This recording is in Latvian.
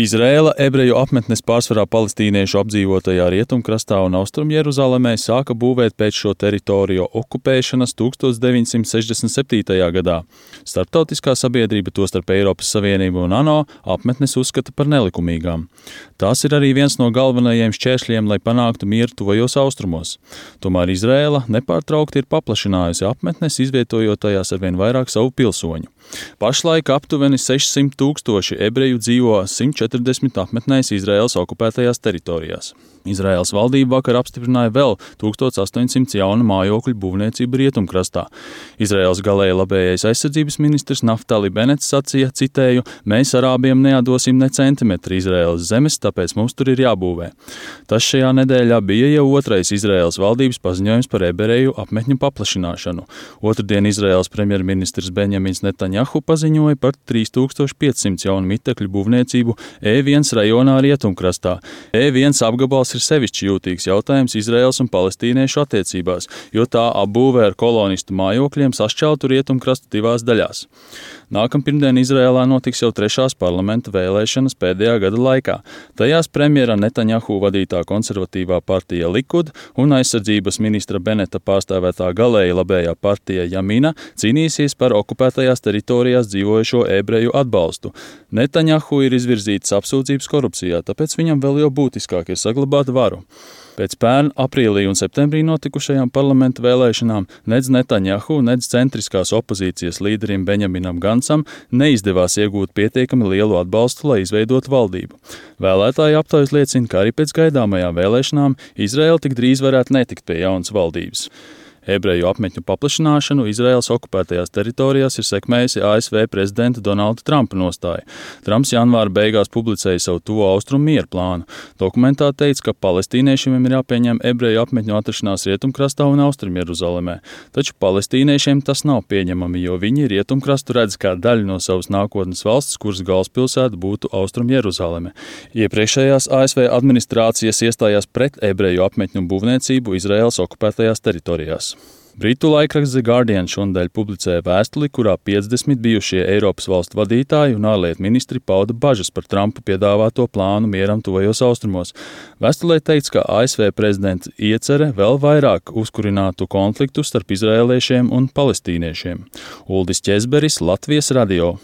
Izraēla ebreju apmetnes pārsvarā palestīniešu apdzīvotajā Rietumkrastā un Austrumjeruzalemē sāka būvēt pēc šo teritoriju okupēšanas 1967. gadā. Starptautiskā sabiedrība, tostarp Eiropas Savienība un ANO, apmetnes uzskata par nelikumīgām. Tās ir arī viens no galvenajiem šķēršļiem, lai panāktu mieru tuvajos austrumos. Tomēr Izraēla nepārtraukti ir paplašinājusi apmetnes, izvietojot tajās arvien vairāk savu pilsoņu. Pašlaik aptuveni 600,000 ebreju dzīvo 140 apmetnēs Izraēlas okupētajās teritorijās. Izraēlas valdība vakar apstiprināja vēl 1800 jaunu mājokļu būvniecību Rietumkrastā. Izraēlas galēji labējais aizsardzības ministrs Naftali Benets sacīja, citēju, mēs arābiem neatdosim ne centimetru Izraēlas zemes, tāpēc mums tur ir jābūvē. Tas šajā nedēļā bija jau otrais Izraēlas valdības paziņojums par ebreju apmetņu paplašināšanu. Otrdien Izraēlas premjerministrs Benjamins Netanjahu paziņoja par 3500 jaunu mitekļu būvniecību E1 rajonā Rietumkrastā. E1 apgabals ir sevišķi jūtīgs jautājums Izraēlas un palestīniešu attiecībās, jo tā apbūvē ar kolonistu mājokļiem sašķeltu Rietumkrastu divās daļās. Nākampirdien Izraēlā notiks jau 3. parlamenta vēlēšanas pēdējā gada laikā. Tajās premjera Netanjahu vadītā konservatīvā partija Likud un aizsardzības ministra Beneta pārstāvētā galēji labējā partija Jamina cīnīsies par okupētajās teritorijās dzīvojošo ebreju atbalstu. Netanjahu ir izvirzītas apsūdzības korupcijā, tāpēc viņam vēl jau būtiskāk ir saglabāt varu. Pēc pērn aprīlī un septembrī notikušajām parlamenta vēlēšanām nedz Netanjahu, nedz centriskās opozīcijas līderim Benjaminam Gancam neizdevās iegūt pietiekami lielu atbalstu, lai izveidotu valdību. Vēlētāju aptaujas liecina, ka arī pēc gaidāmajām vēlēšanām Izraēla tik drīz varētu netikt pie jaunas valdības. Ebreju apmetņu paplašināšanu Izraēlas okupētajās teritorijās ir sekmējusi ASV prezidenta Donalda Trumpa nostāja. Trumps janvāra beigās publicēja savu tuvo austrumu mieru plānu. Dokumentā teica, ka palestīniešiem ir jāpieņem ebreju apmetņu atrašanās Rietumkrastā un Austrumjeruzalemē. Taču palestīniešiem tas nav pieņemami, jo viņi Rietumkrastu redz kā daļu no savas nākotnes valsts, kuras galvaspilsēta būtu Austrumjeruzaleme. Iepriekšējās ASV administrācijas iestājās pret ebreju apmetņu būvniecību Izraēlas okupētajās teritorijās. Britu laikraksts The Guardian šonadēļ publicēja vēstuli, kurā 50 bijušie Eiropas valstu vadītāji un ārlietu ministri pauda bažas par Trumpa piedāvāto plānu mieram tuvajos austrumos. Vēstulē teikts, ka ASV prezidents iecere vēl vairāk uzkurinātu konfliktu starp izraēliešiem un palestīniešiem. Uldis Ķezberis, Latvijas radio.